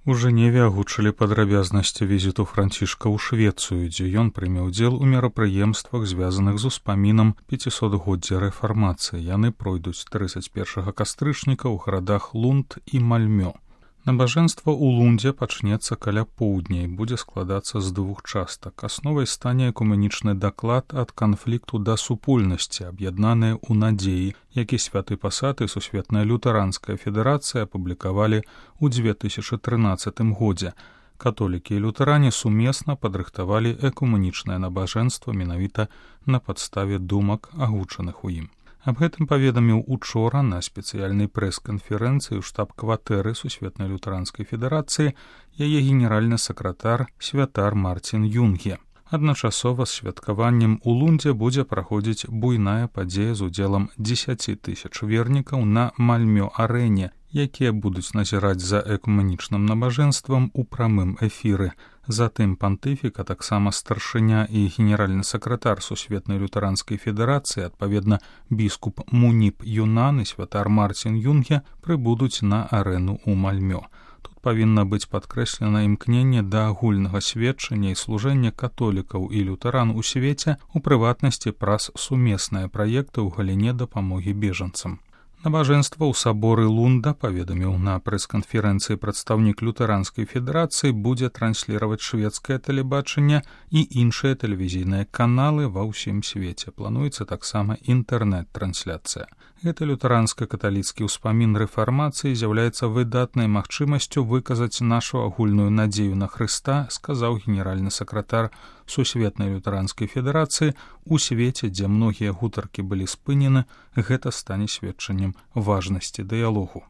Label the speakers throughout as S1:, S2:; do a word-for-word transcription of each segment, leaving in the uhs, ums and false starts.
S1: У Жэневе агучылі падрабязнасці візіту Францішка ў Швецыю, дзе ён прыме ўдзел у мерапрыемствах, звязаных з успамінам пяцісотгоддзя рэфармацыі. Яны пройдуць трыццаць першага кастрычніка ў гарадах Лунд і Мальмё. Набажэнства ў Лундзе пачнецца каля поўдня і будзе складацца з двух частак. Асновай стане экуменічны даклад ад канфлікту да супольнасці, аб'яднаныя ў надзеі, які Святы Пасад і Сусветная лютэранская федэрацыя апублікавалі ў дзве тысячы трынаццатым годзе. Католікі і лютэране сумесна падрыхтавалі экуменічнае набажэнства менавіта на падставе думак, агучаных у ім. Аб гэтым паведаміў учора на спецыяльнай прэс-канферэнцыі ў штаб-кватэры Сусветнай лютэранскай федэрацыі яе генеральны сакратар святар Марцін Юнге. Адначасова з святкаваннем у Лундзе будзе праходзіць буйная падзея з удзелам дзесяці тысяч вернікаў на Мальмё-арэне, якія будуць назіраць за экуменічным набажэнствам у прамым эфіры. Затым пантыфік, а таксама старшыня і генеральны сакратар Сусветнай лютэранскай федэрацыі, адпаведна біскуп Муніп Юнан і святар Марцін Юнге, прыбудуць на арэну ў Мальмё. Тут павінна быць падкрэслена імкненне да агульнага сведчання і служэння католікаў і лютэран у свеце, у прыватнасці праз сумесныя праекты ў галіне дапамогі бежанцам. Набажэнства ў саборы Лунда, паведаміў на прэс-канферэнцыі прадстаўнік лютэранскай федэрацыі, будзе трансліраваць шведскае тэлебачанне і іншыя тэлевізійныя каналы ва ўсім свеце. Плануецца таксама інтэрнэт-трансляцыя. Гэты лютэранска-каталіцкі ўспамін рэфармацыі з'яўляецца выдатнай магчымасцю выказаць нашу агульную надзею на Хрыста, сказаў генеральны сакратар Сусветнай лютэранскай федэрацыі. У свеце, дзе многія гутаркі былі спынены, гэта стане сведчаннем важнасці дыялогу.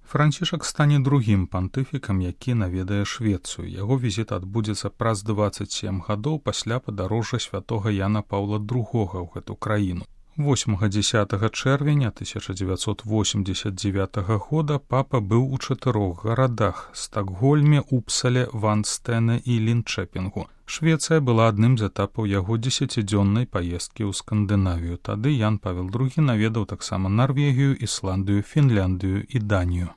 S1: Францішак стане другім пантыфікам, які наведае Швецыю. Яго візіт адбудзецца праз дваццаць сем гадоў пасля падарожжа святога Яна Паўла другога ў гэту краіну. восьмага-дзесятага чэрвеня тысяча дзевяцьсот восемьдесят девятага года папа быў у чатырох гарадах – Стакгольме, Упсале, Ванстэне і Лінчэпінгу. Швецыя была адным з этапаў яго дзесяцідзённай паездкі ў Скандынавію. Тады Ян Павел другі наведаў таксама Нарвегію, Ісландыю, Фінляндыю і Данію.